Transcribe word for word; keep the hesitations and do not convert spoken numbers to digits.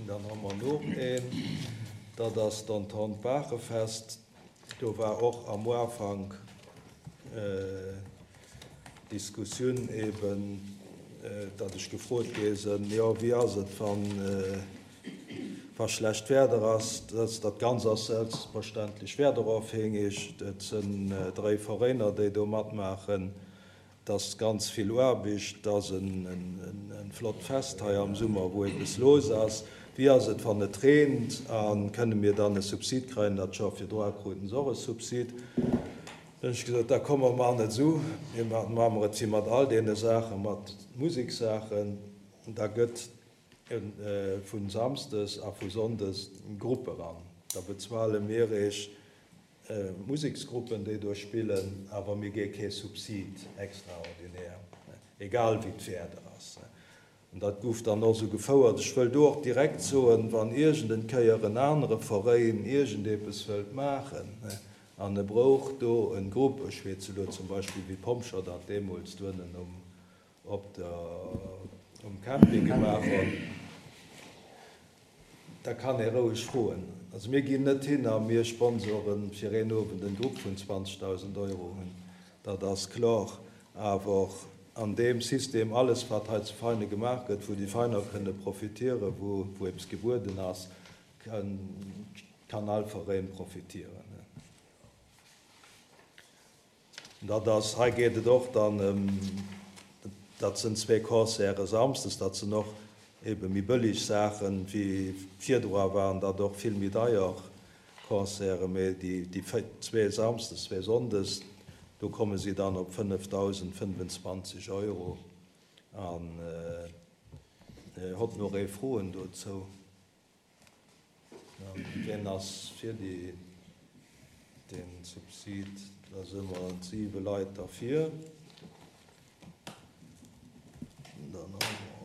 Dann hu mer nach een, dat ass d'Entente Baachefest. Do war och am Ufank Diskussioun eben, datt ech gefrot gi sinn, jo wéi ass et wann wa schlecht Wieder ass. Dat dat Ganzt ass selbstverständlech wiederofhängeg. Et sinn dräi Veräiner, déi do matmaachen. Et ass ganz vill Aarbecht, et ass e flott Fest hei am Summer, wou eppes los ass. Wéi ass et wann et reent a kënne mir dann e Subsid kréien? Dat Joer virdru kruten se och e Subsid. Dann hunn ech gesot, da komm mer maachen et esou, mir maache mer et wéi mat all deene Saachen, mat Musekssaachen, da gëtt vu Samsdes a vu Sonndes Grupp eran. Da bezuele mir iech Museksgruppen, déi do spillen, awer mir gi kee Subsid extraordinär, egal wéi d'Wieder ass. An dat gouf dann och esou gefouert. Ech wëll do och direkt soen, wann iergend Kéier en anere Veräin iergendepes wëllt maachen an e brouch do en Grupp, ech weess elo zum Beispill wéi d'Pompjeeër dat deemools doënnen um op der um Camping gemaach hunn, da kann ee roueg froen. Also mir ginn net hin a mir sponsoren fir een Owend en Grupp vun zwanzegdausend Euro hunn, dat ass kloer. Awer an deem System, alles wat hei zu Veinen gemaach gëtt, wou déi Veiner kënne profitieren, wou wou eppes gebueden ass, kann all Veräin profitieren. Dat ass, hei geet et och dann ëm, dat sinn zwee Concerte samsdes, dat sinn och ebe méi bëlleg Saachen, wéi virdru waren dat och vill méi deier Concerte, mee déi déi zwee samsdes, zwee sonndes, do komme si dann op fënnefdausendfënnefenzwanzeg Euro. An hott nach ee Froen dozou? Wien ass fir déi, den Subsid? Da si mer siwe Leit derfir. Dann hu